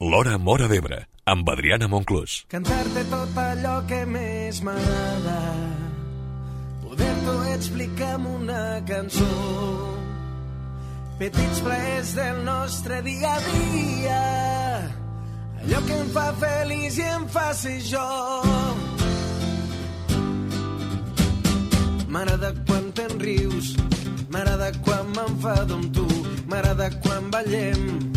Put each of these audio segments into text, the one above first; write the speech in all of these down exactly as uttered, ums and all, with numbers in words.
L'Hora Móra d'Ebre, amb Adriana Monclús. Cantar-te tot allò que més m'agrada, poder-t'ho explicar amb una cançó, petits plaers del nostre dia a dia, allò que em fa feliç i em fa ser jo. M'agrada quan te'n rius, m'agrada quan m'enfado amb tu, m'agrada quan ballem.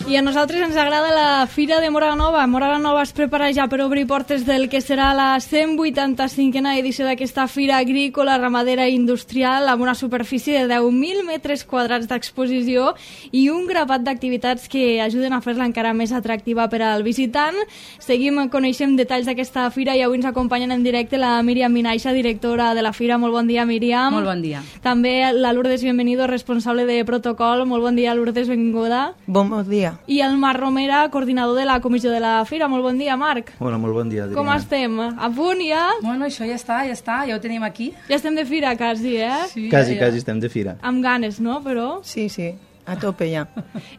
I a nosaltres ens agrada la Fira de Móra la Nova. Móra la Nova es prepara ja per obrir portes del que serà la cent vuitanta-cinquena edició d'aquesta Fira Agrícola, Ramadera i Industrial, amb una superfície de deu mil metres quadrats d'exposició i un grapat d'activitats que ajuden a fer-la encara més atractiva per al visitant. Seguim, coneixem detalls d'aquesta Fira i avui ens acompanyen en directe la Míriam Vinaixa, directora de la Fira. Molt bon dia, Míriam. Molt bon dia. També la Lourdes Bienvenido, responsable de protocol. Molt bon dia, Lourdes, benvinguda. Bon dia. I el Marc Romera, coordinador de la comissió de la Fira. Molt bon dia, Marc. Hola, molt bon dia, Adriana. Com estem? A punt ja? Bueno, això ja està, ja està, ja ho tenim aquí. Ja estem de fira, quasi, eh? Sí, quasi, ja, ja. quasi estem de fira. Amb ganes, no? Però... Sí, sí, a tope ja.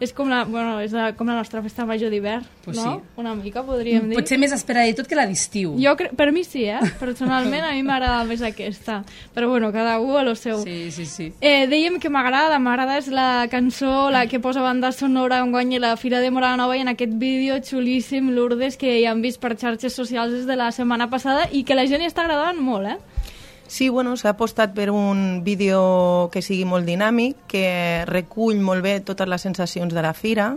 És com la, bueno, és la, com la nostra festa major d'hivern, pues no? Sí. Una mica, podríem dir. Potser més esperadet que la d'estiu. Jo cre... Per mi sí, eh? Personalment a mi m'agrada més aquesta. Però bueno, cada un a lo seu. Sí, sí, sí. Eh, dèiem que m'agrada, m'agrada és la cançó, la que posa banda sonora on guanya la Fira de Móra la Nova i en aquest vídeo xulíssim, Lourdes, que ja hem vist per xarxes socials des de la setmana passada i que la gent hi està agradant molt, eh? Sí, bueno, s'ha apostat per un vídeo que sigui molt dinàmic, que recull molt bé totes les sensacions de la fira.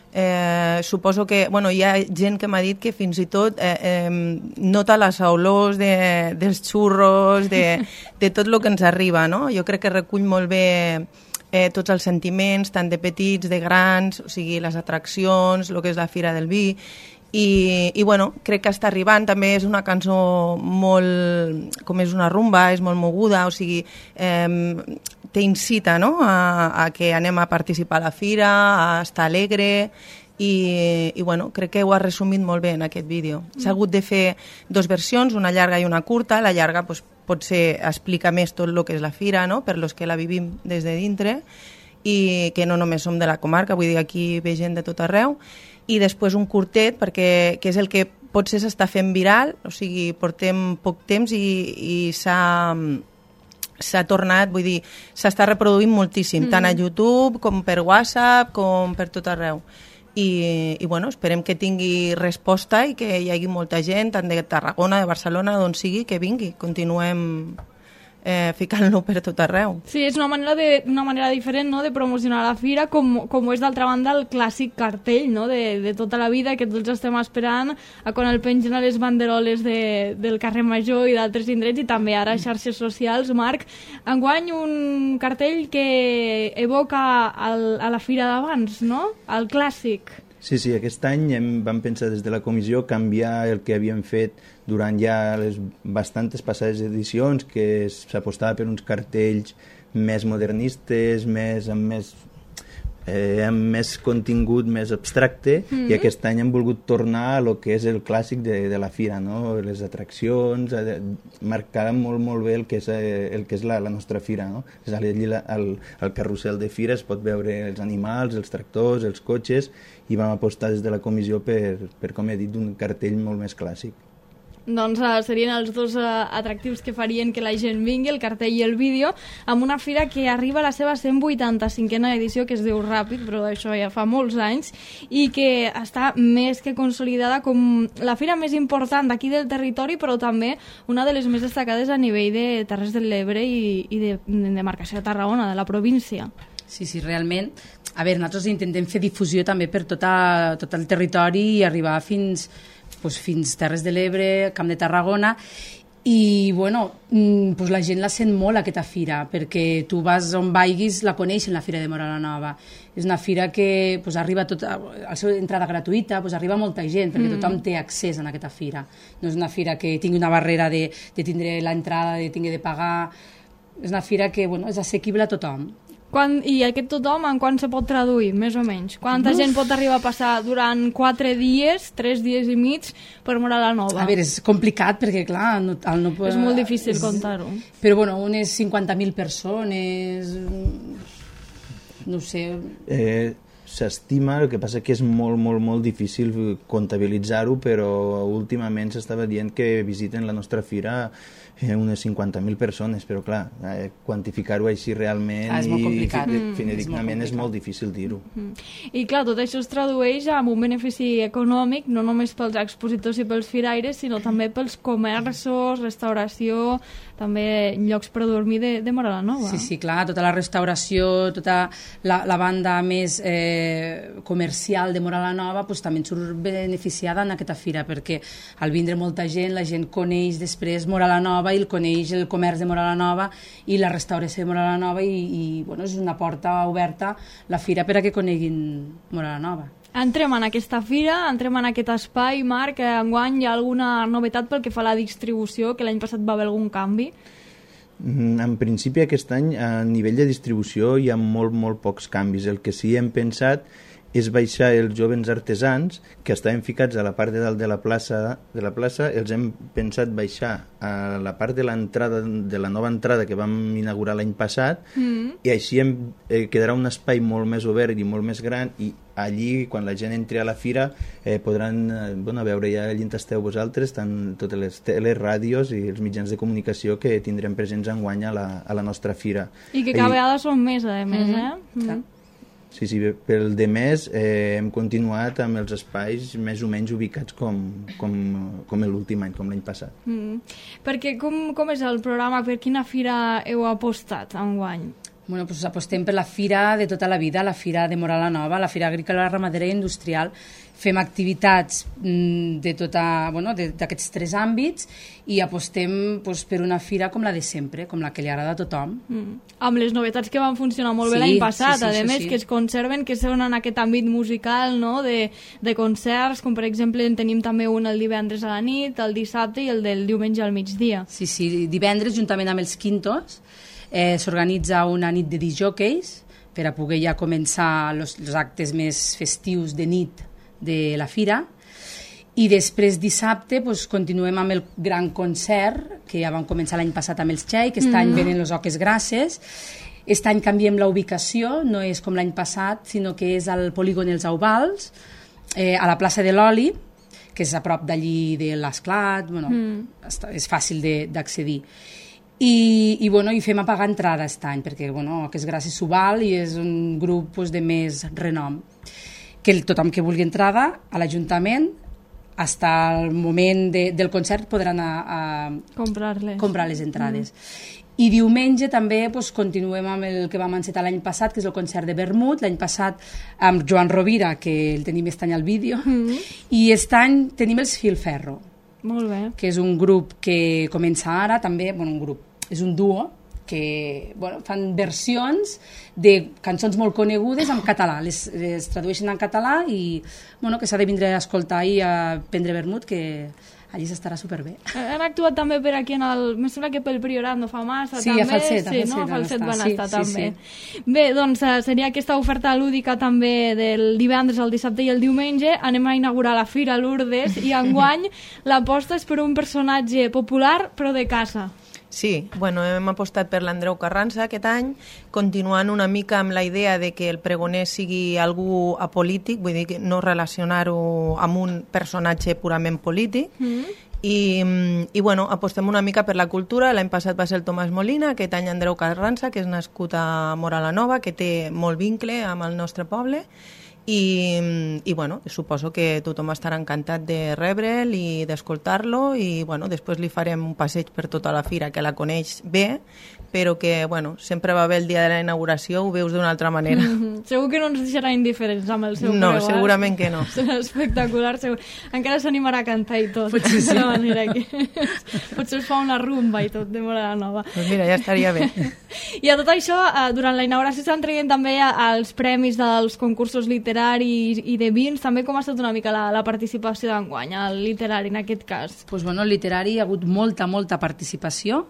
Eh, suposo que, bueno, hi ha gent que m'ha dit que fins i tot eh, eh, nota les olors de, dels xurros, de, de tot el que ens arriba, no? Jo crec que recull molt bé eh, tots els sentiments, tant de petits, de grans, o sigui, les atraccions, el que és la Fira del Vi. I, i bueno, crec que està arribant. També és una cançó molt, com és una rumba, és molt moguda, o sigui, eh, t'incita, no?, a, a que anem a participar a la fira, a estar alegre, i, i bueno, crec que ho ha resumit molt bé en aquest vídeo. S'ha hagut de fer dos versions, una llarga i una curta. La llarga pues, potser explica més tot el que és la fira, no?, per los que la vivim des de dintre, i que no només som de la comarca, vull dir, aquí ve gent de tot arreu. I després un curtet, perquè que és el que potser s'està fent viral, o sigui, portem poc temps i, i s'ha s'ha tornat, vull dir, s'està reproduint moltíssim, mm. tant a YouTube com per WhatsApp, com per tot arreu. I, i bueno, esperem que tingui resposta i que hi hagi molta gent, tant de Tarragona, de Barcelona, d'on sigui, que vingui. Continuem Eh, ficant-lo per tot arreu. Sí, és una manera, de, una manera diferent, no?, de promocionar la fira, com, com és d'altra banda el clàssic cartell, no?, de, de tota la vida, que tots estem esperant a quan el pengen a les banderoles de, del carrer Major i d'altres indrets, i també ara a xarxes socials. Marc, enguany un cartell que evoca el, a la fira d'abans, no?, el clàssic. Sí, sí, aquest any hem, vam pensar des de la comissió canviar el que havíem fet durant ja les bastantes passades edicions, que s'apostava per uns cartells més modernistes, més, amb, més, eh, amb més contingut, més abstracte, mm-hmm. i aquest any hem volgut tornar a lo que és el clàssic de, de la fira, no? Les atraccions, eh, marcar molt, molt bé el que és, eh, el que és la, la nostra fira, no? És allí al, al carrusel de fira es pot veure els animals, els tractors, els cotxes, i vam apostar des de la comissió per, per com he dit, un cartell molt més clàssic. Doncs uh, serien els dos uh, atractius que farien que la gent vingui, el cartell i el vídeo, amb una fira que arriba a la seva cent vuitanta-cinquena edició, que es diu ràpid, però això ja fa molts anys, i que està més que consolidada com la fira més important d'aquí del territori, però també una de les més destacades a nivell de Terres de l'Ebre i, i de, de demarcació de Tarragona, de la província. Sí, sí, realment. A veure, nosaltres intentem fer difusió també per tota, tot el territori i arribar fins, doncs, fins Terres de l'Ebre, Camp de Tarragona, i bueno, doncs la gent la sent molt aquesta fira, perquè tu vas on vaiguis, la coneixen, la Fira de Móra la Nova. És una fira que doncs, arriba tot, a la seva entrada gratuïta, doncs, arriba molta gent, perquè mm. tothom té accés a aquesta fira. No és una fira que tingui una barrera de, de tindre l'entrada, de tingui de pagar. És una fira que bueno, és assequible a tothom. Quan, I aquest tothom en quan se pot traduir, més o menys? Quanta Uf. gent pot arribar a passar durant quatre dies, tres dies i mig, per Móra la Nova? A veure, és complicat perquè, clar... No, el no, és molt difícil contar-ho. Però, bueno, unes cinquanta mil persones... No ho sé... Eh, s'estima, el que passa que és molt, molt, molt difícil comptabilitzar-ho, però últimament s'estava dient que visiten la nostra fira eh, unes cinquanta mil persones, però clar, eh, quantificar-ho així realment ah, és molt complicat. i fideïgnament és, és molt difícil dir-ho. Mm. I clar, tot això es tradueix en un benefici econòmic, no només pels expositors i pels firaires, sinó també pels comerços, restauració, també llocs per dormir de, de Móra la Nova. Sí, sí, clar, tota la restauració, tota la, la banda més eh, comercial de Móra la Nova pues, també en surt beneficiada en aquesta fira, perquè al vindre molta gent, la gent coneix després Móra la Nova i el coneix el comerç de Móra la Nova i la restauració de Móra la Nova i, i bueno, és una porta oberta la fira per a que coneguin Móra la Nova. Entrem en aquesta fira, entrem en aquest espai. Marc, enguany hi ha alguna novetat pel que fa a la distribució, que l'any passat va haver algun canvi? En principi aquest any a nivell de distribució hi ha molt, molt pocs canvis. El que sí hem pensat és baixar els jovens artesans que estaven ficats a la part de dalt de la plaça, de la plaça els hem pensat baixar a la part de l'entrada de la nova entrada que vam inaugurar l'any passat mm. i així hem, eh, quedarà un espai molt més obert i molt més gran i allí, quan la gent entri a la fira, eh, podran eh, bueno, veure ja allà on esteu vosaltres, tant totes les teles, ràdios i els mitjans de comunicació que tindrem presents enguany a la, a la nostra fira. I que cada I... vegada són més, a més, mm-hmm. eh? Mm-hmm. Sí, sí, pel de més eh, hem continuat amb els espais més o menys ubicats com, com, com l'últim any, com l'any passat. Mm. Perquè com, com és el programa? Per quina fira heu apostat enguany? Bueno, pues apostem per la fira de tota la vida, la fira de Móra la Nova, la fira agrícola, ramadera i industrial. Fem activitats de tota, bueno, d'aquests tres àmbits i apostem pues, per una fira com la de sempre, com la que li agrada a tothom. Mm. Amb les novetats que van funcionar molt sí, bé l'any passat, sí, sí, a més sí. que es conserven, que són en aquest àmbit musical, no? de, de concerts, com per exemple en tenim també un el divendres a la nit, el dissabte i el del diumenge al migdia. Sí, sí, divendres juntament amb els Quintos eh, s'organitza una nit de disjòqueis per a poder ja començar els actes més festius de nit de la fira i després dissabte pues, continuem amb el gran concert que ja vam començar l'any passat amb els Txai, que aquest mm. any venen les Oques Grasses. Aquest any canviem la ubicació, no és com l'any passat, sinó que és al polígon Els Auvals, eh, a la plaça de l'Oli, que és a prop d'allí de l'Esclat, bueno, mm. és fàcil d'accedir. I, i, bueno, i fem a pagar entrada aquest any, perquè bueno, Oques Grasses s'ho val i és un grup pues, de més renom. Que el, tothom que vulgui entrada a l'Ajuntament fins al moment de, del concert podrà anar a comprar-les. comprar les entrades. Mm. I diumenge també pues, continuem amb el que vam encetar l'any passat, que és el concert de Vermut, l'any passat amb Joan Rovira, que el tenim aquest any al vídeo, mm. i aquest any tenim els Filferro, molt bé. Que és un grup que comença ara, també, bueno, un grup, és un duo, que bueno, fan versions de cançons molt conegudes en català, les, les tradueixen en català i bueno, que s'ha de vindre a escoltar i a prendre vermut, que allí s'estarà superbé. Han actuat també per aquí, en el, me sembla que pel Priorat no fa massa, sí, també. A Falset, sí, a Falset, no? A Falset van sí, estar sí, també. Sí. Bé, doncs seria aquesta oferta lúdica també del divendres, el dissabte i el diumenge. Anem a inaugurar la Fira Lourdes i enguany l'aposta és per un personatge popular però de casa. Sí, bueno, hem apostat per l'Andreu Carranza aquest any, continuant una mica amb la idea de que el pregoner sigui algú apolític, vull dir, no relacionar-ho amb un personatge purament polític, mm. I, i bueno, apostem una mica per la cultura. L'any passat va ser el Tomàs Molina, aquest any Andreu Carranza, que és nascut a Móra la Nova, que té molt vincle amb el nostre poble, i, i bueno, suposo que tothom estarà encantat de rebre'l i d'escoltar-lo i bueno, després li farem un passeig per tota la fira, que la coneix bé, però que bueno, sempre va bé el dia de la inauguració, ho veus d'una altra manera. Mm-hmm. Segur que no ens deixarà indiferents amb el seu no, preu. No, segurament que no. Serà espectacular, segur. Encara s'animarà a cantar i tot. Potser sí. De manera que potser us fa una rumba i tot de Móra la Nova. Pues mira, ja estaria bé. I a tot això, durant la inauguració s'han traient també els premis dels concursos literaris i de vins. També com ha estat una mica la, la participació d'enguany, el literari en aquest cas? Pues bueno, el literari hi ha hagut molta, molta participació,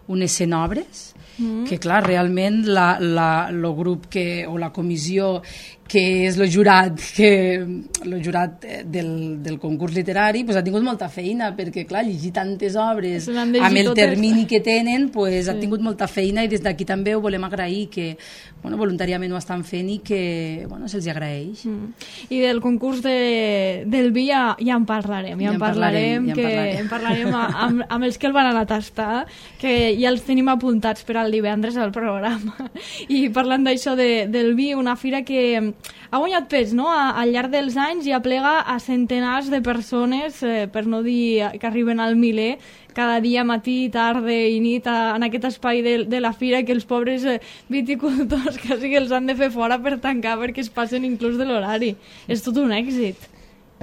unes cent obres, mm. que clar, realment la, la, el grup que, o la comissió que és el jurat, que, el jurat del, del concurs literari, pues, ha tingut molta feina, perquè, clar, llegir tantes obres amb el totes. termini que tenen, pues, sí. ha tingut molta feina, i des d'aquí també ho volem agrair, que bueno, voluntàriament ho estan fent i que bueno, se'ls agraeix. Mm. I del concurs de, del vi ja, ja en parlarem, ja, ja en parlarem, parlarem, ja que en parlarem, en parlarem amb, amb els que el van anar a tastar, que ja els tenim apuntats per al divendres al programa. I parlant d'això de, del vi, una fira que ha guanyat pes, no? Al llarg dels anys i aplega a centenars de persones, eh, per no dir que arriben al miler, cada dia, matí, tarda i nit, a, en aquest espai de, de la fira, que els pobres eh, viticultors quasi que els han de fer fora per tancar perquè es passen inclús de l'horari. És tot un èxit.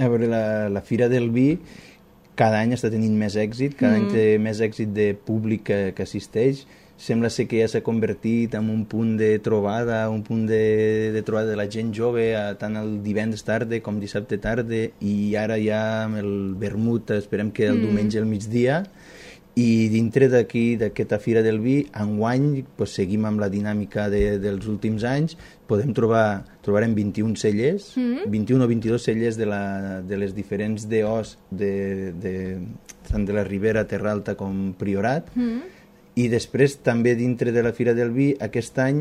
A veure, la, la Fira del Vi cada any està tenint més èxit, cada mm. any té més èxit de públic que, que assisteix. Sembla ser que ja s'ha convertit en un punt de trobada, un punt de, de trobada de la gent jove, a, tant el divendres tarda com dissabte tarda, i ara ja amb el vermut, esperem que el mm. diumenge al migdia. I dintre d'aquí, d'aquesta Fira del Vi, enguany pues, seguim amb la dinàmica de, dels últims anys, podem trobar, trobarem vint-i-un cellers, mm. vint-i-un o vint-i-dos cellers de, la, de les diferents D Os, de, de, tant de la Ribera, Terra Alta com Priorat, mm. I després també dintre de la Fira del Vi aquest any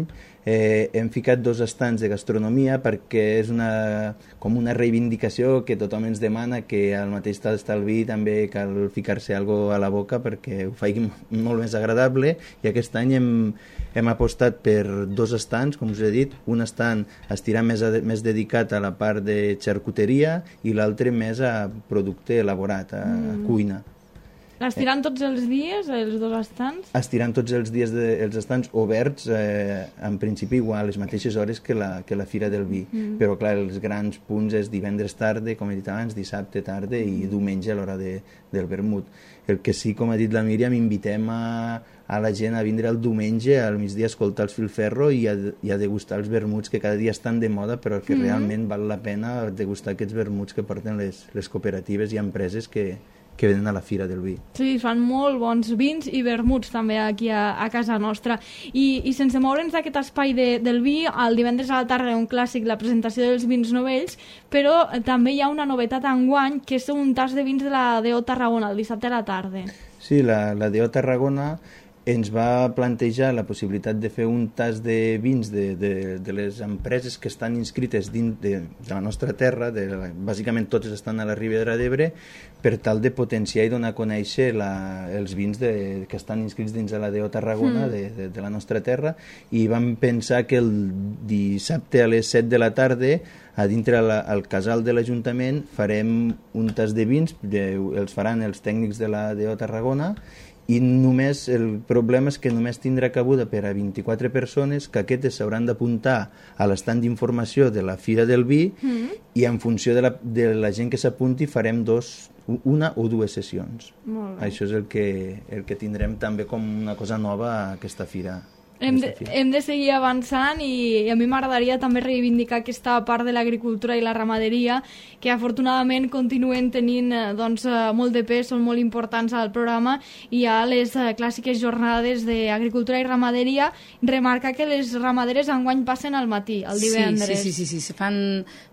eh, hem ficat dos estants de gastronomia perquè és una, com una reivindicació que tothom ens demana, que al mateix tal està el vi també cal ficar-se alguna a la boca perquè ho faci molt més agradable, i aquest any hem, hem apostat per dos estants, com us he dit, un estant estirà més, a, més dedicat a la part de xarcuteria i l'altre més a producte elaborat, a, a cuina. Estiran tots els dies, els dos estants? Estiran tots els dies de, els estants oberts, eh, en principi igual, a les mateixes hores que la, que la Fira del Vi. Mm. Però, clar, els grans punts és divendres tarda, com he dit abans, dissabte tarda i diumenge a l'hora de, del vermut. El que sí, com ha dit la Míriam, invitem a, a la gent a vindre el diumenge al migdia a escoltar els Filferro i a, i a degustar els vermuts que cada dia estan de moda, però que mm. realment val la pena degustar aquests vermuts que porten les, les cooperatives i empreses que que venen a la Fira del Vi. Sí, fan molt bons vins i vermuts també aquí a, a casa nostra. I, i sense moure'ns d'aquest espai de, del vi, el divendres a la tarda un clàssic, la presentació dels vins novells, però també hi ha una novetat enguany, que és un tas de vins de la D O Tarragona, el dissabte a la tarda. Sí, la, la D O Tarragona ens va plantejar la possibilitat de fer un tas de vins de, de, de les empreses que estan inscrites dins de, de la nostra terra, de la, bàsicament totes estan a la Ribera d'Ebre, per tal de potenciar i donar a conèixer la, els vins de, que estan inscrits dins de la D O Tarragona, mm. de, de, de la nostra terra, i vam pensar que el dissabte a les set de la tarda, a dintre la, al casal de l'Ajuntament, farem un tas de vins, de, els faran els tècnics de la D O Tarragona, i només el problema és que només tindrà cabuda per a vint-i-quatre persones, que aquestes s'hauran d'apuntar a l'estant d'informació de la Fira del Vi, mm. i en funció de la, de la gent que s'apunti farem dos, una o dues sessions. Això és el que, el que tindrem també com una cosa nova a aquesta fira. Hem de, hem de seguir avançant i a mi m'agradaria també reivindicar aquesta part de l'agricultura i la ramaderia que afortunadament continuen tenint doncs, molt de pes, són molt importants al programa, i a les clàssiques jornades d'agricultura i ramaderia remarcar que les ramaderes enguany passen al matí, el divendres. Sí, sí, sí, sí, sí. Se fan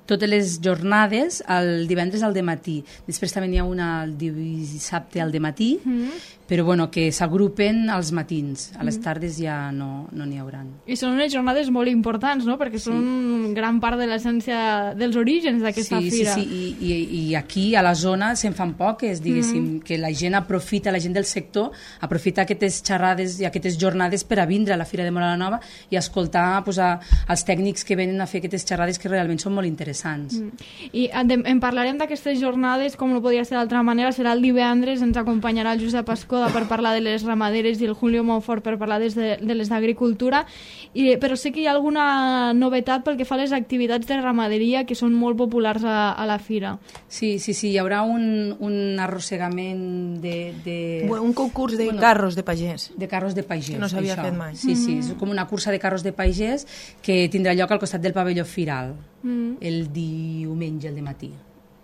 totes les jornades el divendres al dematí. Després també n'hi ha una el dissabte al dematí, mm. però bueno, que s'agrupen als matins. A les tardes ja no no n'hi hauran. I són unes jornades molt importants, no? Perquè són sí. gran part de l'essència dels orígens d'aquesta sí, fira. Sí, sí, I, i, i aquí a la zona se'n fan poques, diguéssim, mm. que la gent aprofita, la gent del sector, aprofita aquestes xerrades i aquestes jornades per a vindre a la Fira de Móra la Nova i escoltar pues, a, als tècnics que venen a fer aquestes xerrades que realment són molt interessants. Mm. I en, en parlarem d'aquestes jornades, com no podia ser d'altra manera, serà el divendres, ens acompanyarà el Josep Escoda per parlar de les ramaderes i el Julio Monfort per parlar des de, de les d'agricultura, i, però sé que hi ha alguna novetat pel que fa a les activitats de ramaderia que són molt populars a, a la fira. Sí, sí, sí, hi haurà un, un arrossegament de... de... Bueno, un concurs de bueno, carros de pagès. De carros de pagès. Que no s'havia fet mai. Sí, sí, mm. és com una cursa de carros de pagès que tindrà lloc al costat del pavelló Firal, mm. el diumenge al dematí.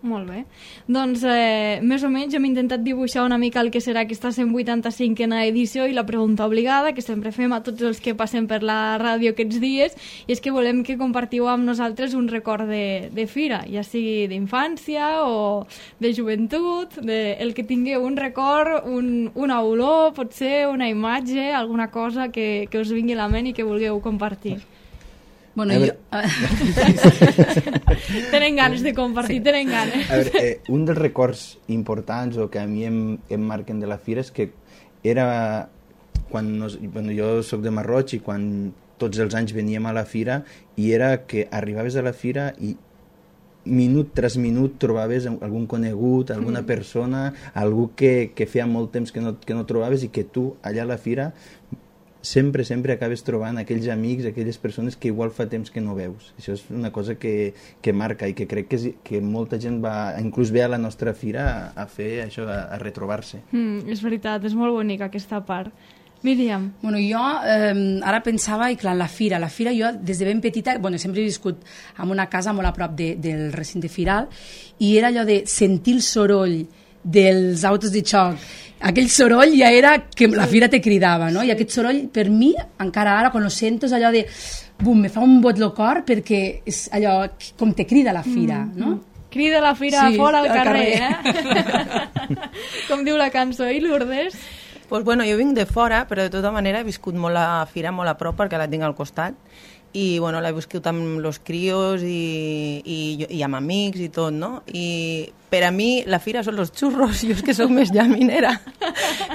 Molt bé. Doncs eh, més o menys hem intentat dibuixar una mica el que serà aquesta cent vuitanta-cinquena edició i la pregunta obligada que sempre fem a tots els que passem per la ràdio aquests dies, i és que volem que compartiu amb nosaltres un record de, de fira, ja sigui d'infància o de joventut, de, el que tingueu un record, un, una olor, potser una imatge, alguna cosa que, que us vingui a la ment i que vulgueu compartir. Bueno, A jo... Tenen ganes de compartir, sí. tenen ganes. A veure, eh, un dels records importants o que a mi em, em marquen de la fira és que era quan nos, bueno, jo soc de Marroig i quan tots els anys veníem a la fira i era que arribaves a la fira i minut tras minut trobaves algun conegut, alguna persona, algú que, que feia molt temps que no, que no trobaves i que tu allà a la fira sempre, sempre acabes trobant aquells amics, aquelles persones que igual fa temps que no veus. Això és una cosa que, que marca i que crec que, és, que molta gent va, inclús ve a la nostra fira a, a fer això, a, a retrobar-se. Mm, és veritat, és molt bonica aquesta part. Míriam. Bueno, jo eh, ara pensava, i clar, la fira, la fira jo des de ben petita, bueno, sempre he viscut en una casa molt a prop de, del recinte firal, i era allò de sentir el soroll dels autos de xoc, aquell soroll ja era que la fira te cridava, no? I aquest soroll, per mi, encara ara, quan ho sento, és allò de... Bum, me fa un bot lo cor perquè és allò com te crida la fira, mm, no? Crida la fira sí, fora al, al carrer, carrer. eh? Com diu la cançó. I Lourdes? Pues bueno, jo vinc de fora, però de tota manera he viscut molt la fira, molt a prop, perquè la tinc al costat. I bueno, l'he viscut amb los crios i, i, i amb amics i tot, no? I per a mi la fira són los xurros, jo és que soc més llaminera,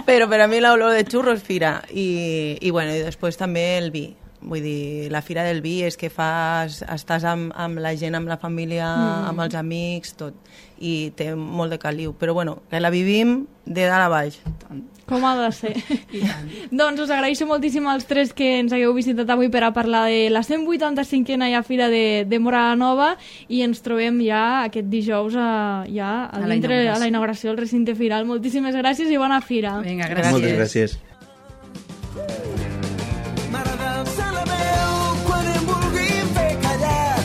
però per a mi l'olor de xurros fira. I, i bueno, i després també el vi. Vull dir, la fira del vi és que fas, estàs amb, amb la gent, amb la família, mm. amb els amics, tot. I té molt de caliu. Però bueno, que la vivim de dalt a baix. Com ha de ser. Doncs us agraeixo moltíssim als tres que ens hagueu visitat avui per a parlar de la cent vuitanta-cinquena ja fira de, de Móra la Nova, i ens trobem ja aquest dijous a, ja a, a, la dintre, a la inauguració del recinte firal. Moltíssimes gràcies i bona fira. Vinga, gràcies. Moltes gràcies. M'agrada alçar la veu quan em vulgui fer callar.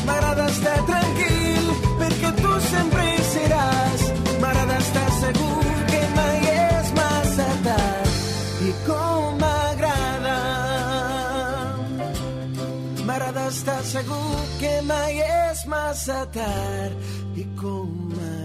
M'agrada estar tranquil perquè tu sempre hi seràs. M'agrada estar segur que mai és massa tard. I com m'agrada. M'agrada estar segur que mai és massa tard. I com m'agrada.